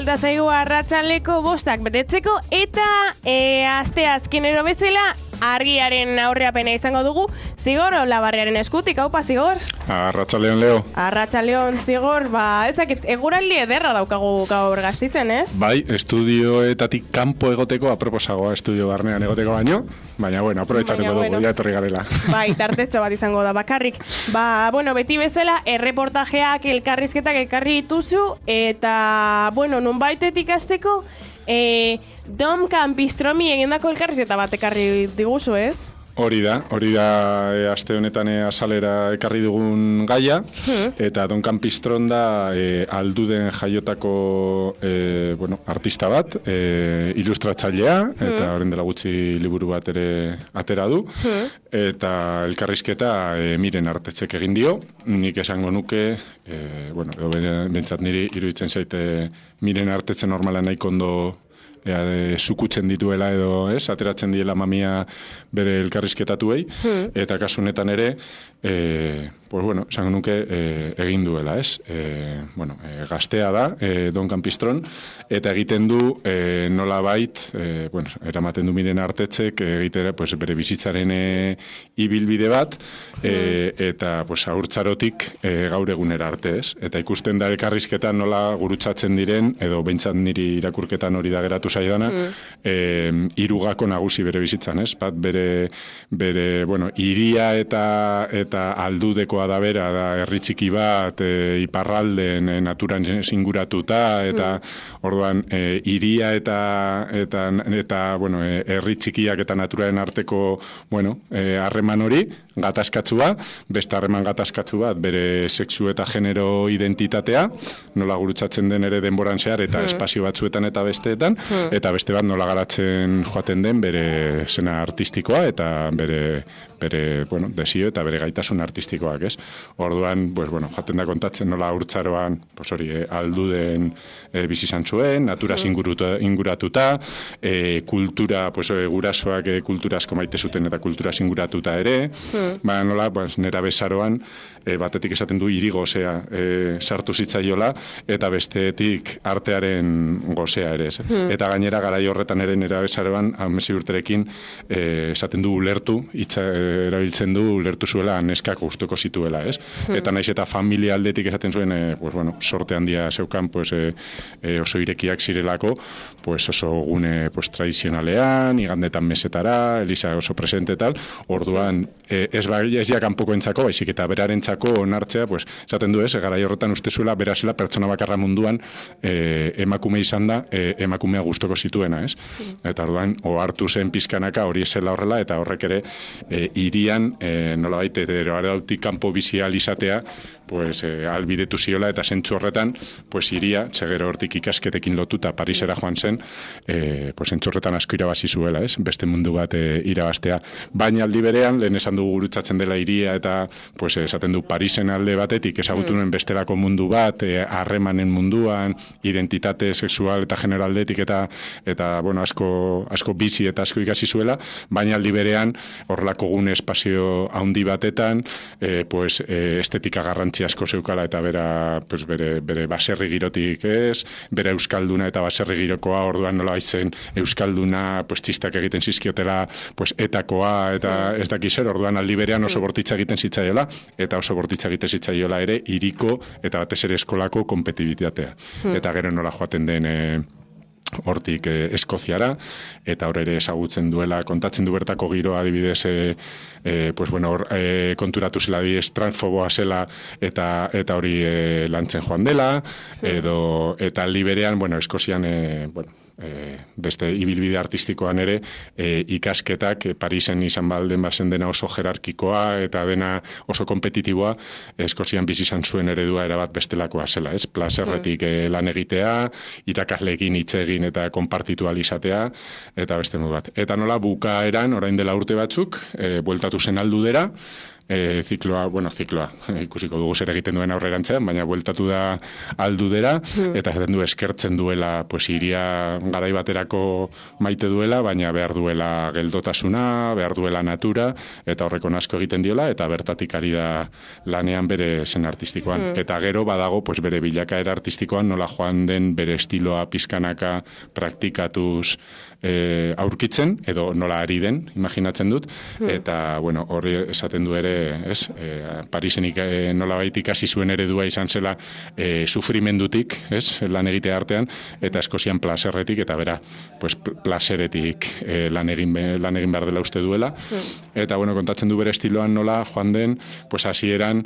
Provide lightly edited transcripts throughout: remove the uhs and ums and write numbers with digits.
falta zaigu arratsaldeko 5 betetzeko eta aste azkenero bezala argiaren aurreapena izango dugu Zigor Olabarriaren eskutik. Haupa, Zigor? Arratsaldeon, Leo. Arratsaldeon, Zigor. Ez dakit, eguraldi ederra daukagu gaur Gasteizen, ez? Bai, estudioetatik kanpo egoteko aproposagoa estudio barnean egoteko baina bueno, aprobetxatuko dugu, ja etorri garela. Bai, tartetxo bat izango da bakarrik. Beti bezala, erreportajeak, elkarrizketak ekarri dituzu, eta, nunbaitetik azteko, Dom Campistromi egindako elkarrizketa bat ekarri diguzu, ez? Hori da, aste honetan azalera ekarri dugun gaia, eta Don Campistron da Alduden jaiotako artista bat, ilustratzailea, eta horren dela gutxi liburu bat ere atera du, eta elkarrizketa Miren Artetzek egin dio, nik esango nuke, bentsat niri iruditzen zaite Miren Artetzen normala nahiko ondo sukutzen dituela edo, ateratzen diela mamia bere elkarrizketatuei, eta kasu honetan ere, esango nuke egin duela, gaztea da, Don Campistron, eta egiten du nolabait, eramaten du Miren Artetzek egitera bere bizitzaren ibilbide bat, eta haurtzarotik gaur egunera arte, ez? Eta ikusten da elkarrizketan nola gurutzatzen diren, edo behintzat niri irakurketan hori da geratu zaidana, hirugako nagusi bere bizitzan, ez? Bat bere hiria eta aldudekoa da bera, da herri txiki bat, iparralden naturan inguratuta, eta orduan hiria eta herri txikiak eta naturaren arteko harreman hori, gatazkatsua, beste harreman gatazkatsu bat, bere sexu eta genero identitatea, nola gurutzatzen den ere denboran zehar, eta espazio batzuetan eta besteetan, eta beste bat nola garatzen joaten den bere zena artistikoa, eta bere desio eta bere gaitasun artistikoak, ez? Orduan, joaten da kontatzen nola haurtzaroan, Alduden bizi izan zuen, naturaz inguratuta, kultura, gurasoak kultura asko maite zuten eta kulturaz inguratuta ere, nola, nera bezaroan, batetik esaten du hiri gozea sartu zitzaiola, eta bestetik artearen gozea ere, eta gainera garai horretan ere nera bezaroan, 10 urterekin, esaten du ulertu, erabiltzen du ulertu zuela neskak gustuko zituela, ez? Eta naiz eta familia aldetik esaten zuen, sorte handia zeukan, oso irekiak zirelako, oso gune tradizionalean, igandetan mesetara, Eliza oso presente tal, orduan, ez ja kanpoko entzako, baizik eta berarentzako onartzea, esaten du ez, garai horretan uste zuela, berazela pertsona bakarra munduan emakume izan da, emakumea gustoko zituena, ez? Eta orduan, ohartu zen pizkanaka hori esela horrela, eta horrek ere hirian, nolabait, eroarautik kanpo bizial izatea, albidetu ziola, eta zentzu horretan, hiria, segero hortik ikasketekin lotuta Parisera joan zen, zentzu horretan asko irabazi zuela, ez? Beste mundu bat irabaztea. Baina aldi berean, lehen esan dugu gurutzatzen dela hiria, eta esaten du Parisen alde batetik, ezagutu nuen bestelako mundu bat, harremanen munduan, identitate sexual eta genero aldetik, eta asko bizi eta asko ikasi zuela, baina aldi berean, horrelako gune espazio handi batetan, estetika garrantzi asko zeukala, eta bere baserri girotik ez, bere euskalduna eta baserri girokoa, orduan nola baitzen euskalduna, txistak egiten zizkiotela, etakoa, eta ez dakiz zer, orduan aldi berean oso bortitza egiten zitzaiola, eta oso bortitza egiten zitzaiola ere, hiriko eta batez ere eskolako kompetibitatea. Eta gero nola joaten den hortik Eskoziara, eta hor ere ezagutzen duela, kontatzen du bertako giroa adibidez, konturatu zela adibidez transfoboa zela, eta hori lantzen joan dela, eta aldi berean, Eskozian, beste ibilbide artistikoan ere, ikasketak Parisen izan balden bazen dena oso jerarkikoa, eta dena oso kompetitiboa, Eskozian bizi izan zuen eredua erabat bestelakoa zela, ez? Plazerretik lan egitea, irakasleekin hitz egin eta konpartitu alizatea, eta beste modu bat. Eta nola bukaeran, orain dela urte batzuk, bueltatu zen Aldudera, zikloa, ikusiko dugu zer egiten duen aurrerantzean, baina bueltatu da Aldudera, eta esaten du eskertzen duela, pues iria garai baterako maite duela, baina behar duela geldotasuna, behar duela natura, eta horreko asko egiten diola, eta bertatik ari da lanean bere zen artistikoan. Eta gero badago, pues bere bilakaera artistikoan nola joan den bere estiloa pizkanaka praktikatuz aurkitzen, edo nola ari den, imaginatzen dut, eta, bueno, hori esaten du ere, ez, Parisenik nolabait ikasi zuen eredua izan zela sufrimendutik, ez, lan egite artean, eta Eskozian plaserretik, eta bera, pues, plaseretik lan egin behar dela uste duela, eta, bueno, kontatzen du bere estiloan nola joan den, pues, hasieran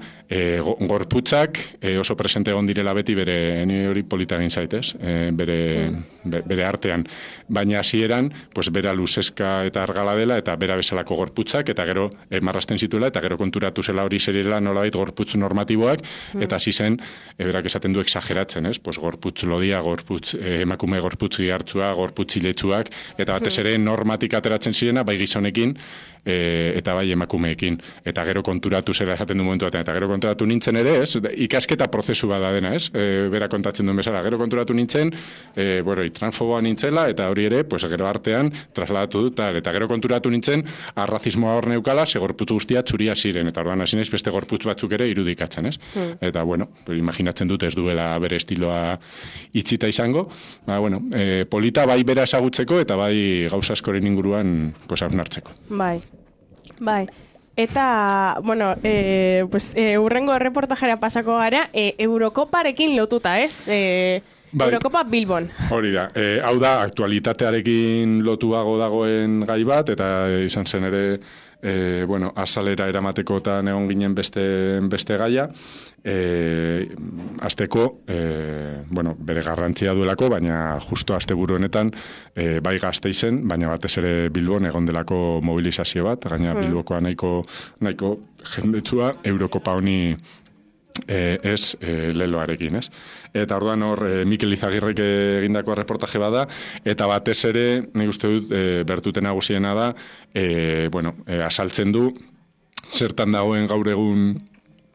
gorputzak oso presente egon direla beti bere, ni hori polita egin zaitez, bere artean, baina hasieran, pues, bera luzeska eta argala dela, eta bera bezalako gorputzak, eta gero marrasten zituela, eta gero konturatu zela hori zerela nolabait gorputz normatiboak, eta hasi zen, berak esaten du exageratzen, ez? Pues gorputz lodia, emakume gorputz gihartzua, gorputz iletsuak, eta batez ere normatik ateratzen zirena, bai gizonekin, eta bai emakumeekin. Eta gero konturatu zela esaten du momentu batean, eta gero konturatu nintzen ere, ez? Ikasketa prozesu bada dena, ez? Bera kontatzen duen bezala. Gero konturatu nintzen, transfoboa nintzela, eta hori ere, pues gero artean trasladatu dut, eta gero konturatu nintzen, arrazismoa hor neukala, ze gorputz guztia txuria ziren, eta orduan hasi naiz beste gorputz batzuk ere irudikatzen, ez? Eta, bueno, imaginatzen dut ez duela bere estiloa itxita izango, ba, bueno, polita bai bera ezagutzeko, eta bai gauza askoren inguruan, pues, hausnartzeko. Bai. Eta, bueno, urrengo reportajera pasako gara, Eurokoparekin lotuta, ez? Bai. Eurokopa Bilbon. Hori da. Hau da, aktualitatearekin lotuago dagoen gai bat, eta izan zen ere, azalera eramatekotan egon ginen beste gaia. Azteko, bere garrantzia duelako, baina justo asteburu honetan bai Gasteizen, baina batez ere Bilbon egon delako mobilizazio bat, gaina Bilbokoa nahiko jendetsua Eurokopa honi leloarekin, ez? Eta orduan hor Mikel Izagirrek egindako reportaje bada, eta batez ere, nik uste dut, bertute nagusiena da, asaltzen du, zertan dagoen gaur egun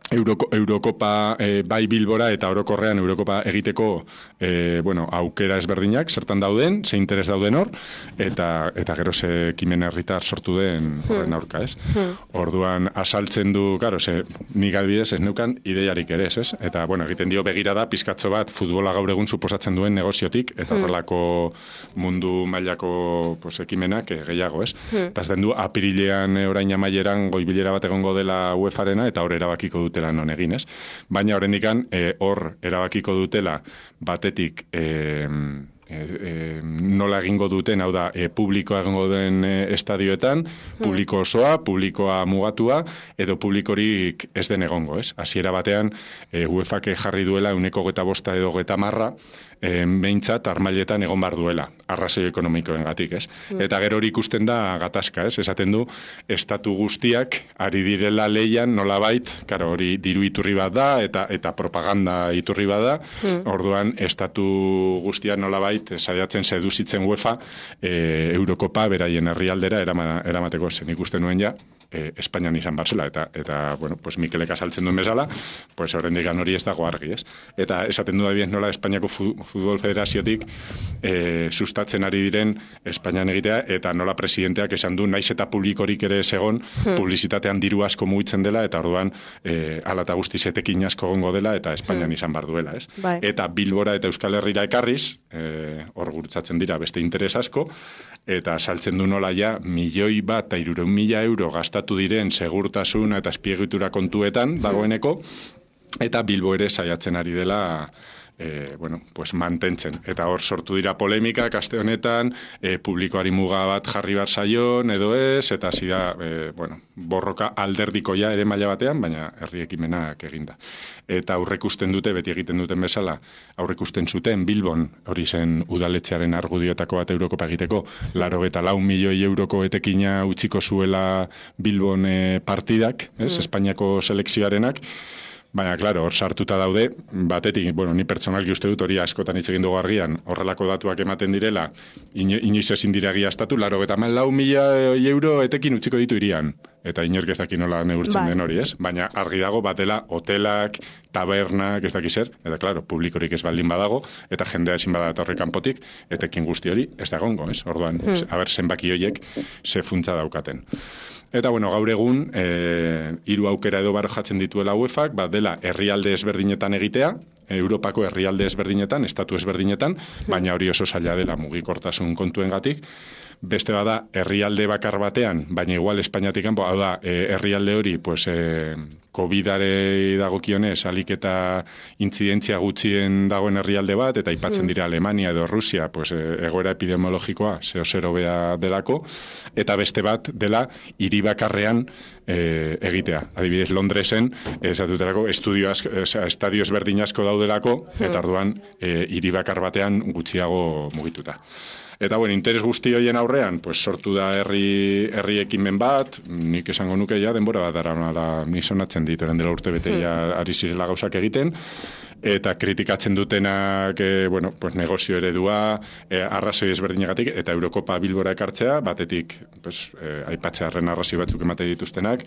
Eurokopa bai Bilbora eta orokorrean Eurokopa egiteko aukera ezberdinak zertan dauden, ze interes dauden hor, eta gero ze ekimen herritar sortu den horren aurka, ez? Orduan asaltzen du, claro, nik adibidez ez neukan ideiarik ere, ez? Eta, egiten dio begirada pizkatxo bat futbola gaur egun suposatzen duen negoziotik, eta horrelako mundu mailako ekimenak gehiago, ez? Eta ez den du, apirilean orain amaieran goibilera bat egongo dela UEFA-rena, eta hor erabakiko dute non egin, ez? Baina horrendikan hor erabakiko dutela batetik nola egingo duten, hau da, publikoa egingo den estadioetan, publiko osoa, publikoa mugatua, edo publikorik ez den egongo, ez? Hasiera batean, UEFA-k jarri duela 1,25 edo 30 behintzat armailetan egon bar duela, arrazoi ekonomikoengatik, ez? Eta gero hori ikusten da gatazka, ez? Esaten du, estatu guztiak ari direla leian nolabait, karo, hori diru iturri bat da, eta propaganda iturri bat da, orduan estatu guztiak nolabait saiatzen seduzitzen UEFA Eurokopa beraien herrialdera eramateko, zen ikusten nuen ja, Espainian izan barzela, eta Mikelek asaltzen duen bezala, horrendik hori ez dago argi, ez? Eta esaten du da bien nola Espainiako Futbol Federaziotik sustatzen ari diren Espainian egitea, eta nola presidenteak esan du, naiz eta publikorik ere segon, publizitatean diru asko mugitzen dela, eta orduan ala eta guztiz etekin asko gongo dela, eta Espainian izan bar duela, ez? Eta Bilbora eta Euskal Herrira ekarriz, hor gurtzatzen dira beste interes asko, eta saltzen du nola ja, 1.300.000 euro gastatu diren segurtasun eta azpiegitura kontuetan dagoeneko, eta Bilbo ere saiatzen ari dela mantentzen. Eta hor sortu dira polemikak aste honetan, publikoari muga bat jarri bar zaion edo ez, eta hasi da, borroka alderdikoia ere maila batean, baina herri ekimenak eginda. Eta aurrekusten dute, beti egiten duten bezala, aurrekusten zuten Bilbon, hori zen udaletxearen argudioetako bat Eurokopa egiteko, 84 milioi euroko etekina utziko zuela Bilbon partidak, Espainiako selekzioarenak, Baina, klaro, hor sartuta daude, batetik, bueno, ni pertsonalki uste dut hori askotan hitz egin dugu argian, horrelako datuak ematen direla, inoiz ezin dira egiaztatu, 94.000 euro etekin utziko ditu irian. Eta inork ez daki nola neurtzen den hori, ez? Baina argi dago batela hotelak, tabernak, ez daki zer, eta klaro, publikorik ez baldin badago, eta jendea ezin bada etorri kanpotik, etekin guzti hori ez da egongo, ez? Orduan, aber zenbaki horiek ze funtsa daukaten. Eta, bueno, gaur egun, 3 aukera edo barrojatzen dituela UEFAk, bat dela herrialde ezberdinetan egitea, Europako herrialde ezberdinetan, estatu ezberdinetan, baina hori oso zaila dela mugikortasun kontuengatik. Beste bada, herrialde bakar batean, baina igual Espainiatik kanpo, hau da, herrialde hori, pues, COVID-are dagokionez, alik eta intzidentzia gutxien dagoen herrialde bat, eta aipatzen dira Alemania edo Rusia, pues, egoera epidemiologikoa zeo bea delako, eta beste bat dela, hiri bakarrean egitea. Adibidez, Londresen, esatuterako, estadio ezberdin asko daudelako, eta orduan, hiri bakar batean gutxiago mugituta. Eta, bueno, interes guzti hoien aurrean, pues, sortu da herri ekimen bat, nik esango nuke ja, denbora bat dara, nizonatzen dituaren dela urte bete ja ari zirela gauzak egiten, eta kritikatzen dutenak, bueno, pues, negozio eredua, arrazoi ezberdinegatik, eta Eurokopa Bilbora ekartzea, batetik, pues, aipatzearen arrazoi batzuk emate dituztenak,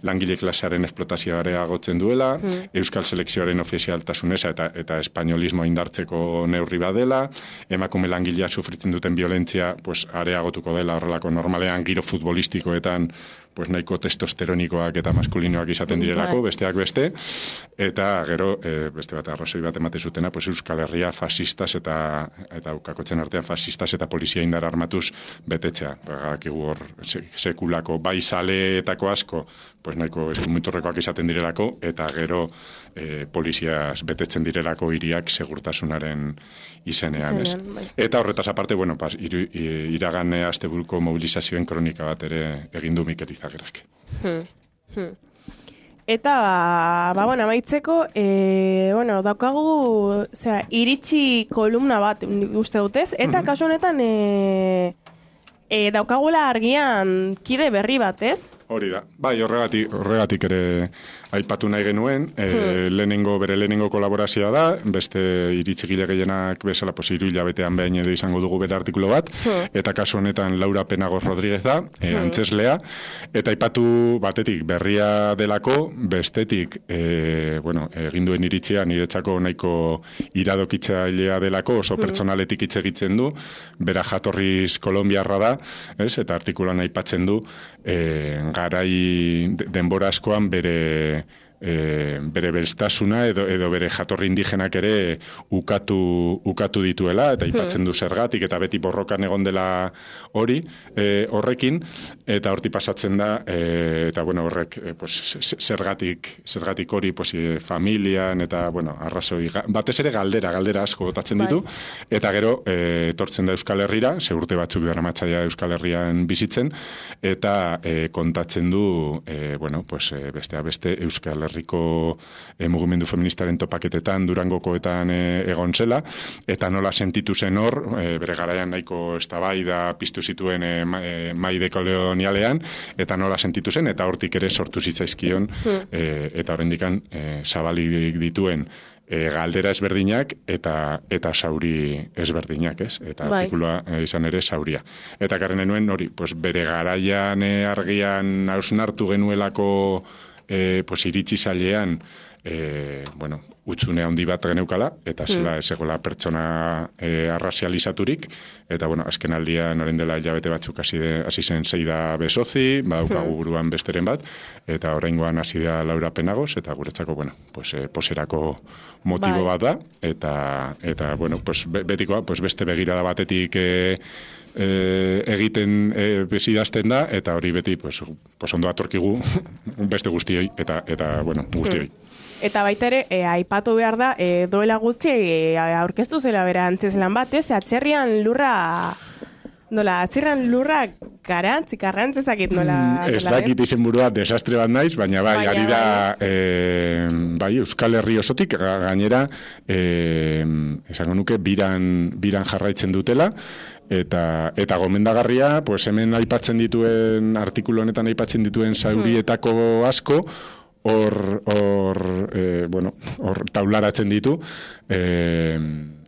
langile klasearen esplotazioare agotzen duela, euskal selekzioaren ofizialtasuneza eta espainolismo indartzeko neurri badela, emakume langilea sufritzen duten violentzia, pues, areagotuko dela horrelako normalean giro futbolistikoetan, pues, nahiko testosteronikoak eta maskulinoak izaten direlako, besteak beste, eta gero, beste bat arrazoi bat emate zutena, pues, Euskal Herria fasistas eta ukakotzen artean fasistas eta polizia indar armatuz betetzea. Bagakigu hor sekulako bai saleetako asko, pues, nahiko eskumiturrekoak izaten direlako, eta gero poliziaz betetzen direlako hiriak segurtasunaren izenean, ez? Eta horretaz aparte, bueno, iragan asteburuko mobilizazioen kronika bat ere egin du Mikel Izaguirrek. Eta, bueno, amaitzeko, bueno, daukagu, iritsi kolumna bat uste dutez, eta kasu honetan daukagula argian kide berri bat, ez? Hori da. Bai, horregatik ere aipatu nahi genuen, bere lehenengo kolaborazioa da, beste iritsegile gehienak bezala, 3 hilabetean behin edo izango dugu bere artikulo bat, eta kasu honetan Laura Penagos Rodríguez da, antzeslea, eta aipatu batetik berria delako, bestetik, bueno, eginduen iritzia niretzako nahiko iradokitzailea delako, oso pertsonaletik hitz egiten du, bera jatorriz kolombiarra da, ez? Eta artikuloan aipatzen du, garai denbora askoan bere berestasuna edo bere jatorri indigenak ere ukatu dituela, eta aipatzen du zergatik, eta beti borrokan egon dela hori, horrekin, eta horti pasatzen da, eta bueno, horrek, pues, zergatik hori, pues, familian, eta, bueno, arrazoi, batez ere galdera asko botatzen ditu, eta gero, etortzen da Euskal Herrira, urte batzuk daramatzaia Euskal Herrian bizitzen, eta kontatzen du, bueno, pues, beste Euskal Herriko mugimendu feministaren topaketetan, Durangokoetan egon zela, eta nola sentitu zen hor, bere garaian nahiko eztabaida piztu zituen mai dekolonialean, eta nola sentitu zen, eta hortik ere sortu zitzaizkion, eta horrendikan zabalik dituen galdera ezberdinak eta zauri ezberdinak, ez? Eta artikuloa izan ere zauria. Eta garren nuen hori, pues, bere garaian argian hausnartu genuelako pues, iritsi zailean, bueno, utzune handi bat geneukala, eta zela ezegoela pertsona arrazializaturik, eta, bueno, azken aldian orain dela hilabete batzuk hasi zen Seida Besozi, badaukagu buruan besteren bat, eta oraingoan hasi da Laura Penagos, eta guretzako, bueno, pues, poserako motibo bat da, eta bueno, pues, betikoa, pues, beste begirada batetik egiten bezidazten da, eta hori beti pues ondo atorkigu beste guztioi, eta bueno, guztioi. Eta baita ere, aipatu behar da, doela gutxi aurkeztu zela bera antzeslan bat, atzerrian lurra garrantzezakit nola... Ez dakit izenburua desastre bat naiz, baina bai, ari da bai, Euskal Herri osotik, gainera, esango nuke, biran jarraitzen dutela, eta gomendagarria, pues hemen aipatzen dituen, artikulu honetan aipatzen dituen zaurietako asko, hor taularatzen ditu,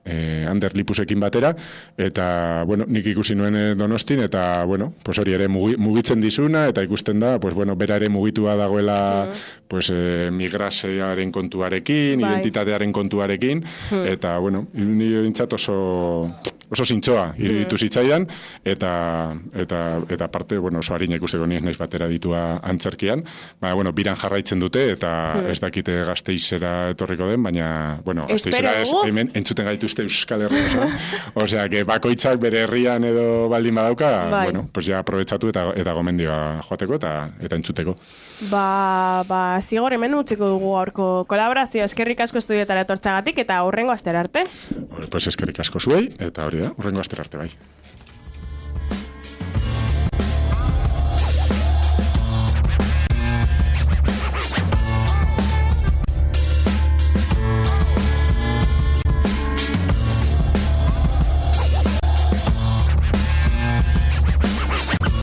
Ander Lipusekin batera, eta, nik ikusi nuen Donostin, eta, hori ere mugitzen dizuna, eta ikusten da, bera ere mugitua dagoela, migrasearen kontuarekin, identitatearen kontuarekin, eta, nire bintzat oso zintzoa iruditu zitzaidan, eta parte, oso harina ikusteko nien naiz batera ditua antzerkian, biran jarraitzen dute, eta ez dakite Gasteizera etorriko den, baina, Gasteizera hemen entzuten gaituzte Euskal Herria, osea, que bakoitzak bere herrian edo baldin badauka, ja aprobetsatu eta gomendioa joateko eta entzuteko. Zigor hemen utziko dugu gaurko kolaborazio, eskerrik asko estudiotara etortzagatik eta hurrengo astera arte. Eskerrik asko zuei, eta hori da, hurrengo astera arte bai.